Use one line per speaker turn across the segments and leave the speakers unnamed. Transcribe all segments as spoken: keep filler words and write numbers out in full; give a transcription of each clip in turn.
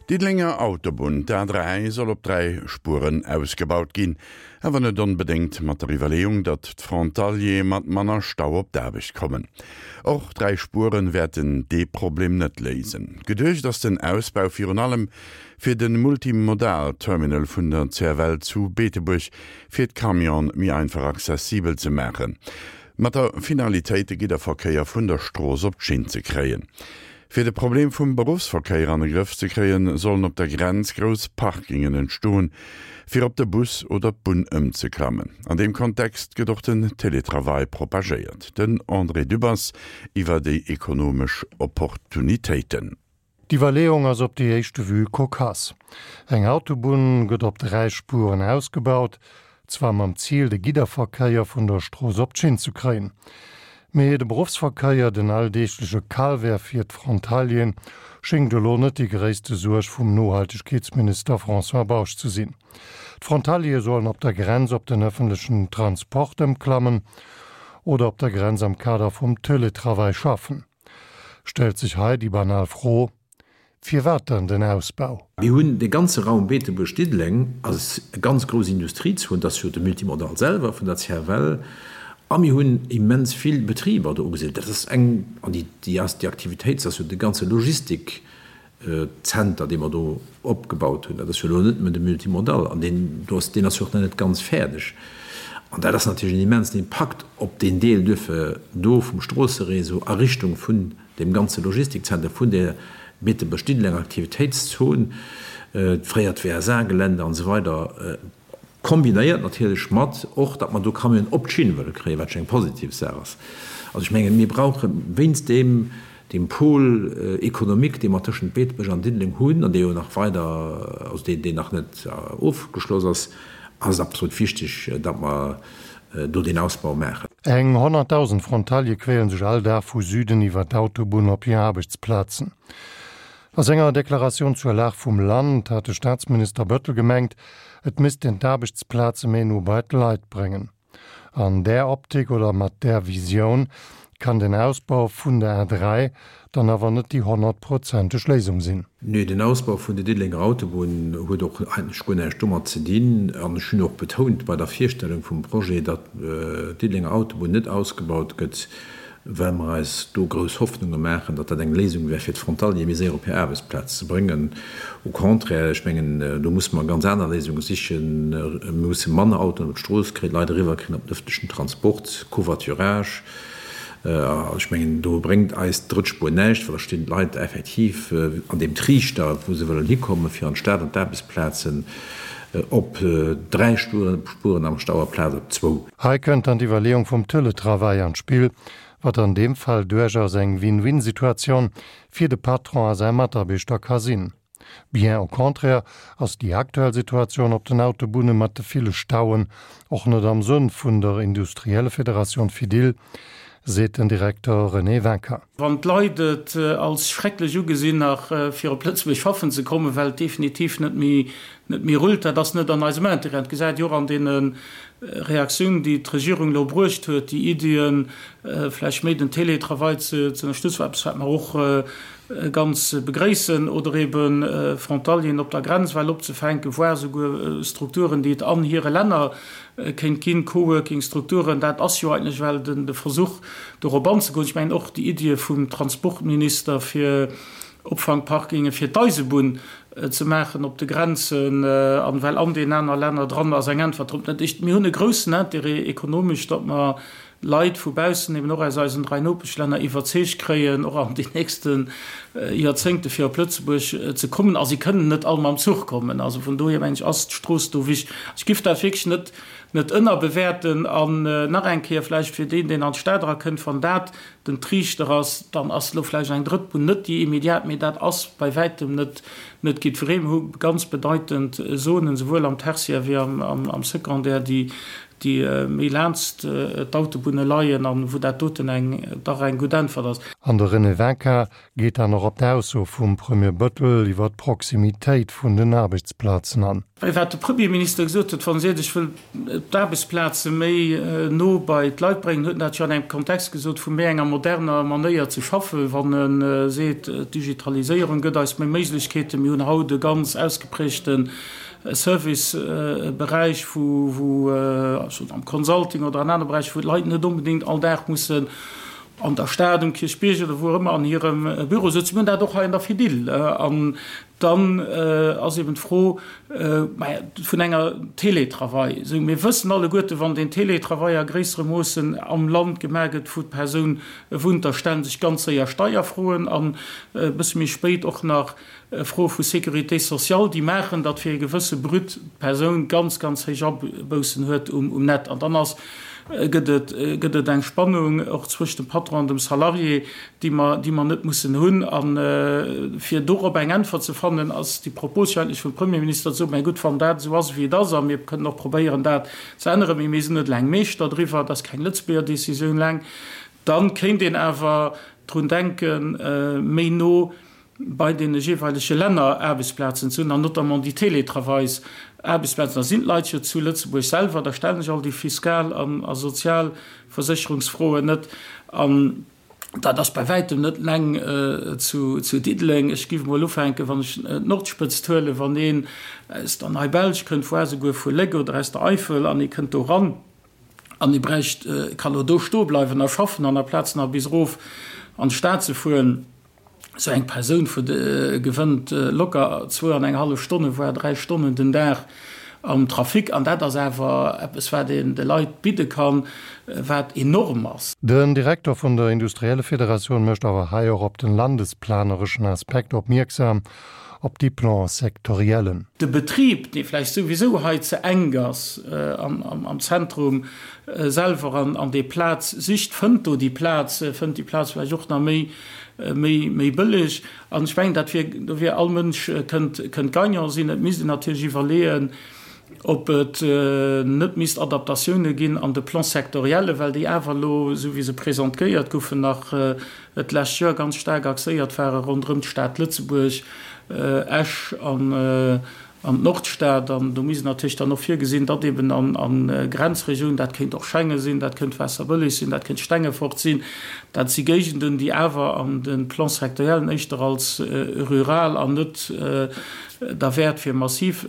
D'Diddelenger Autobunn, d'A dräi, soll op dräi Spueren ausgebaut ginn. Awer net onbedéngt mat der Iwwerleeung, datt d'Frontaliere mat manner Stau op d'Aarbecht kommen. Och dräi Spueren wäerten dee Problem net léisen. Geduecht ass den Ausbau virun allem fir de Multimodal-Terminal vun der C F L zu Beetebuerg fir d'Camionen méi einfach accessibel ze maachen. Mat der Finalitéit de Gidderverkéier vun der Strooss op d'Schinn ze kréien. Fir de Problem vum Beruffsverkéier an de Grëff ze kréien, sollen op der Grenz grouss Parkingen entstoen, fir op de Bus oder d'Bunn ëmzeklammen. An deem Kontext gëtt och den Teletravail propagéiert. Den André Dübbers iwwer déi ekonomesch Opportunitéiten.
D'Iwwerleeung ass op déi éischte Vue kokass. Eng Autobunn gëtt op dräi Spueren ausgebaut, zwar mam Zil de Gidderverkéier vun der Strooss op d'Schinn ze kréien. Mee de Beruffsverkéier, den alldeegleche Calvaire fir d'Frontalieren, schéngt elo net déi gréisste Suerg vum Nohaltegkeetsminister François Bausch ze sinn. D'Frontaliere sollen op der Grenz op den ëffentlechen Transport ëmklammen oder op der Grenz am Kader vum Teletravail schaffen. Stellt sech hei déi banal Fro: Firwat dann den Ausbau?
Mir hunn de ganze Raum Beetebuerg-Diddeleng als ganz grouss Industriezon, dat ass jo de Multimodal selwer vun der C F L, a mir hunn immens vill Betriber do ugesiedelt. Dat ass eng, an déi, déi ass, déi Aktivitéit ass jo de ganze Logistikzenter, dee mer do opgebaut hunn. Dat ass jo elo net nëmmen de Multimodal, an deen do ass, deen ass jo och nach net ganz fäerdeg. An dat ass natierlech en immensen Impakt op deen Deel duerfir do vum Stroosseréseau a Richtung vun deem ganze Logistikzenter, vun där Beetebuerg-Diddelenger Aktivitéitszon, d'fréiert W S A-Gelände an esou weider, kombinéiert natierlech mat och, datt mer do Camionen op d'Schinn wëlle kréien, wat jo eng positiv Saach ass. Also ech mengen, mir brauche wéinst deem, deem Pôle économique, dee mer tëschent Beetebuerg an Diddeleng hunn an dee jo nach weider, also deen, deen nach net ofgeschloss ass, ass et absolut wichteg, datt mer do deen Ausbau maachen.
Eng honnertdausend Frontaliere quälen sech all Dag vu Süden iwwer d'Autobunn op hir Aarbechtsplazen. A senger Deklaratioun zur Lag vum Land hat de Staatsminister Bettel gemengt, et misst een d'Aarbechtsplaze méi no bei d'Leit bréngen. An där Optik oder mat där Visioun kann den Ausbau vun der A dräi dann awer net déi honnertprozenteg Léisung sinn.
Nee, den Ausbau vun der Diddelenger Autobunn huet och eigentlech guer näischt domat ze dinn. An ech hunn och betount bei der Virstellung vum Projet, datt d'Diddelenger Autobunn net ausgebaut gëtt, well mer eis do grouss Hoffnunge maachen, datt dat eng Léisung wär, fir d'Frontaliere méi séier op hir Aarbechtsplaz ze bréngen. Au contraire, ech mengen, do musse mer ganz aner Léisunge sichen. Mir musse manner Autoen op d'Strooss kréien, d'Leit eriwwerkréien op den ëffentlechen Transport, Covoiturage. Ech mengen, do bréngt eis d'drëtt Spuer näischt, well da stinn d'Leit effektiv an deem Triichter, wou se wëllen hikommen, fir an d'Stad an d'Aarbechtsplazen, op dräi Spueren am Stau aplaz op zwou.
Hei kënnt dann d'Iwwerleeung vum Teletravail an d'Spill, wat an deem Fall duerchaus eng Win-Win-Situatioun fir de Patron a säi Mataarbechter ka sinn. Bien au contraire ass déi aktuell Situatioun op den Autobunne mat de ville Stauen och net am Sënn vun der Industriellefederatioun Fedil, seet den Direkter René Wincker.
Wann d'Leit et als schrecklech ugesinn, nach fir op Lëtzebuerg schaffen ze kommen, well et definitiv net méi net méi rullt, dat ass net an eisem Interêt. Et gesäit jo och an deene Reaktiounen, déi d'Regierung elo bruecht huet, déi Iddien, vläicht méi den Télétravail ze ënnerstëtzen, eppes wat mer och ganz begréissen, oder ebe Frontalieren op der Grenz well opzefänken, voire souguer Strukturen, déi et an hire Länner kéint ginn, Coworking-Strukturen, dat ass jo eigentlech well de Versuch, dorop anzegoen. Ech mengen och déi Iddie vum Transportminister, fir Opfangparkinge fir d'Eisebunn ze maachen op de Grenzen an well an deenen aner Länner dran, ass eng Äntwert drop. Dat heescht, mir hunn e groussen Intérêt ekonomesch, datt mer Leit vu baussen, eben och aus eisen dräi Nopeschlänner, iwwerzeegt kréien, och an den nächste Joerzéngte fir op Lëtzebuerg ze kommen. A si kënnen net all mam Zuch kommen. Also vun dohier, mengen ech, ass d'Strooss do wichteg. Ech giff dat wierklech net net ënnerbewäerten. An nach eng Kéier vläicht fir deen, deen an d'Stad erakënnt, wann dat den Triichter ass, dann ass elo vläicht eng drëtt Bunn net déi immediat, mee dat ass bei wäitem net net jiddweree. Mir hu ganz bedeitend Zonen, souwuel am Tertiaire wéi am Secondaire, déi déi méi laanst d'Autobunne leien an wou dat doten eng dach eng gutt Äntwert ass.
An de René Winkin geet dann och op d'Ausso vum Premier Bettel iwwer d'Proximitéit vun den Aarbechtsplazen an.
Well wat de Premierminister gesot huet, wann e seet, ech wëll d'Aarbechtsplaze méi no bei d'Leit bréngen, huet en dat jo an engem Kontext gesot vu méi enger moderner Manéier ze schaffen. Wann e seet, d'Digitaliséierung gëtt eis méi Méiglechkeeten, mir hunn haut e ganz ausgeprägte Serviceberäich, wou, wou, also am Consulting oder an anere Beräicher, wou d'Leit net onbedéngt all Dag mussen an der Stad, um Kierchbierg oder wou och ëmmer an hirem Büro sëtzen. Mir hunn dat och hei an der Fedil. An dann ass eben d'Fro vun enger Télétravail. Esou, mir wëssen alleguerte, wann deen Télétravail a gréisserem Moossen am Land gemaach gëtt, wou d'Persoun wunnt, da stelle sech ganz séier Steierfroen an e bësse méi spéit och nach Froe vu Sécurité sociale, déi maachen, datt fir e gewësse Brut d'Persoun ganz, ganz héich Aboussen huet um Net. An dann ass, gëtt et, gëtt et eng Spannung och zwëscht dem Patron an dem Salarié, déi mer, déi mer net mussen hunn. A fir dorop eng Äntwert ze fannen, ass déi Propos jo eigentlech vum Premierminister ze soen, Mä gutt, wann dat esou ass, wéi et ass, a mir kënnen och probéieren, dat ze änneren, mee mir sinn net eleng Meeschter driwwer, et ass keng Lëtzebuerger Décisioun eleng, da kéint een awer drun denken, méi no bei deene jeeweilege Länner Aarbechtsplazen ze hunn, an notamment déi Télétravails-Aarbechtsplazen. Da sinn d'Leit jo zu Lëtzebuerg selwer, da stellen sech all déi fiskal a sozial Versécherungsfroen net. An dat ass bei wäitem net eleng zu Diddeleng. Ech géif emol ufänken, wann ech d'Nordspëtzt huelen, wann een aus der Nei-Belsch kënnt, voire souguer vu Léck oder aus der Eifel, an ee kënnt do eran an ee bräicht, kann elo do stoe bleiwen a schaffen, an aplaz nach bis erof an d'Stad ze fueren. Esou eng Persoun vu gewënnt locker zwou an eng hallef Stonnen, voire dräi Stonnen den Dag am Trafic. An dat ass awer eppes, wat een de Leit bidde kann, wat enorm ass.
Den Direkter vun der Industriellefederatioun mécht awer hei och op den landesplanereschen Aspekt opmierksam, op déi Plans sectoriellen.
De Betrib, dee vläicht souwisou hei ze enk ass am Zentrum selwer an déi Plaz sicht, fënnt do déi Plaz, fënnt déi Plaz vläicht och nach méi, méi bëlleg. An ech mengen, dat wier, do wier all Mënsch kënnt, kënnt gagnant sinn. Et misst een natierlech iwwerleeën, ob et net misst Adaptatioune ginn an de Plans sectoriellen, well déi awer elo, esou wéi se presentgéiert goufen, nach d'lescht Joer ganz staark axéiert ware ronderëm d'Stad Lëtzebuerg, Esch an d'Nordstad. An do misst een natierlech dann och virgesinn, datt eben a Grenzregiounen, dat kéint och Schengen sinn, dat kéint Waasserbëlleg sinn, dat kéint Stengefort sinn, dat si Géigenden, déi awer an de Plans sectoriellen éischter als rural an net derwäert fir massiv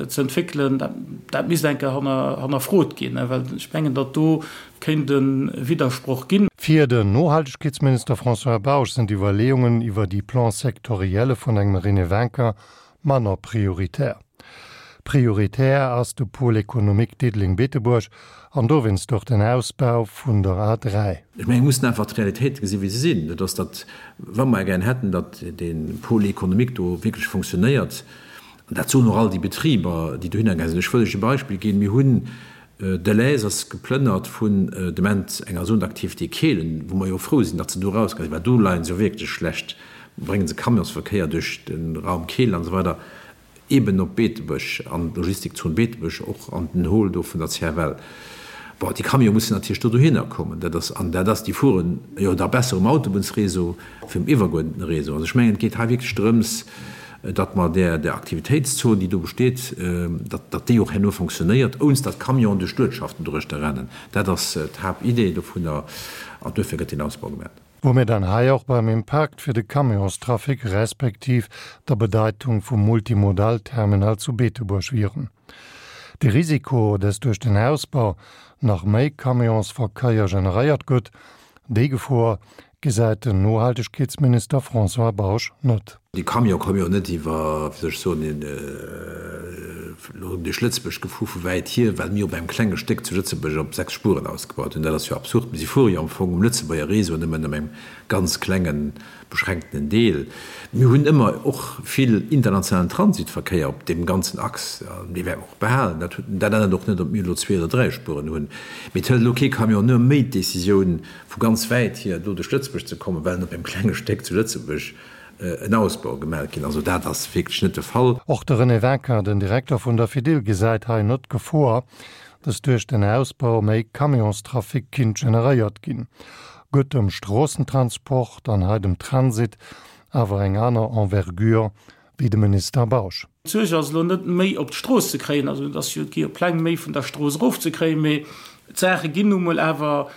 ze entwéckelen, dat misst eng Kéier hannerfrot ginn, well ech mengen, datt do kéint e Widdersproch ginn.
Fir den Nohaltegkeetsminister François Bausch sinn d'Iwwerleeungen iwwer déi Plans sectorielle vun engem René Wincker manner prioritär. Prioritär ass de Pôle économique Diddeleng-Beetebuerg an dowéinst och den Ausbau vun der A dräi.
Ech mengen, mir mussen einfach d'Realitéite gesinn, wéi se sinn. Dat ass, datt, wa mer gären hätten, datt dee Pôle économique do wierklech fonctionnéiert, an dat soen och all déi Betriber, déi dohinner gaange sinn. Ech wëll lech e Beispill ginn, Mir hunn, Delhaize ass geplënnert vun de Moment enger Zone d'activité Kehlen, wou mer jo frou sinn, datt se do erausgaange sinn, well do leie se jo wierklech schlecht, brénge se Camionsverkéier duerch de Raum Kehlen an esou weider. Eben op Beetebuerg, an d'Logistikzon Beetebuerg, och an den Hall do vun der C F L. Bon, déi Camione mussen natierlech do dohinner kommen. Dat ass, an dat ass, déi fueren jo da besser um Autobunnsréseau wéi um iwwerguerdenten Réseau. Also ech mengen, et geet hei wierklech drëms, datt mer där, där Aktivitéitszon, déi do besteet, datt, datt déi och herno fonctionnéiert, ounst datt Camionen duerch d'Uertschaften doruechter rennen. Dat ass d'Haaptidee dovunner an duerfir gëtt deen Ausbau gemaach.
Wou mir dann hei och beim Impakt fir de Camionstrafic respektiv der Bedeitung vum Multimodalterminal zu Beetebuerg wieren. De Risiko, dass duerch den Ausbau nach méi Camionsverkéier generéiert gëtt, déi Gefor gesäit den Nohaltegkeetsminister François Bausch net.
Déi Camione komme jo net iwwer, wéi soll ech soen, elo duerch Lëtzebuerg gefuer vu wäit hier, well mir op engem klenge Stéck zu Lëtzebuerg op sechs Spuren ausgebaut hunn. Dat ass jo absurd. Mee si fuere jo am Fong um Lëtzebuerger Réseau nëmmen op engem ganz klengen, beschränktenen Deel. Mir hunn ëmmer och vill internationalen Transitverkéier op deem ganzen Achs, an dee wäerte mer och behalen. Dat huet, dat ännert och net, ob mir elo zwee oder dräi Spuren hunn. Mee et hëlt elo kee Camionneur méi d'Décisioun, vu ganz wäit hier elo duerch Lëtzebuerg ze kommen, well en op engem klenge Stéck zu Lëtzebuerg en Ausbau gemellt ginn. Also dat ass wierklech net de Fall.
Och de René Winkin, den Direkter vun der Fedil, gesäit hei net d'Gefor, dass duerch den Ausbau méi Camionstrafic kinnt generéiert ginn, gëtt dem Stroossentransport, an hei dem Transit, awer eng aner Envergure wéi de Minister Bausch.
D'Suerg ass elo net méi op d'Strooss ze kréien, also et ass jo, et gi jo Pläng méi vun der Strooss erof ze kréien, mee d'Saache ginn nu mol awer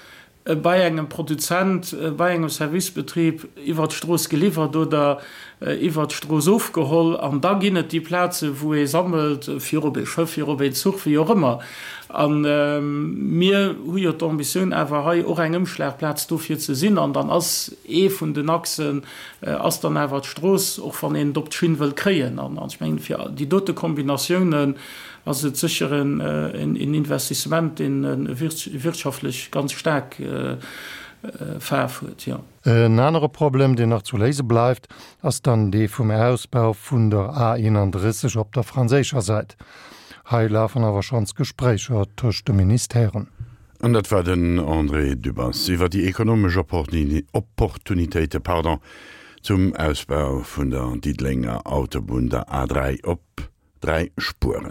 bei engem Produzent, bei engem Servicebetrib iwwert d'Strooss geliwwert oder iwwert d'Strooss ofgeholl. An da ginn et déi Plazen, wou ee sammelt, fir op ee Schëff, fir op een Zuch, wéi och ëmmer. A mir hu jo d'Ambitioun awer hei och eng Ëmschlagplaz dofir ze sinn. An dann ass ee vun den Achsen ass dann awer d'Strooss, och wann een et op d'Schinn wëllt kréien. An ech mengen, fir déi dote Kombinatiounen ass et sécher en Investissement, deen wirtschaftlech ganz staark Faarf huet, jo.
En anere Problem, deen nach zu léise bleift, ass dann dee vum Ausbau vun der A eenanddrësseg op der franséischer Säit. Hei lafen awer schonns Gespréicher tëscht de Ministèren.
An dat war den André Dübbers iwwer déi ekonomesch Opportunitéite, pardon, zum Ausbau vun der Diddelenger Autobunn, der A dräi, op dräi Spueren.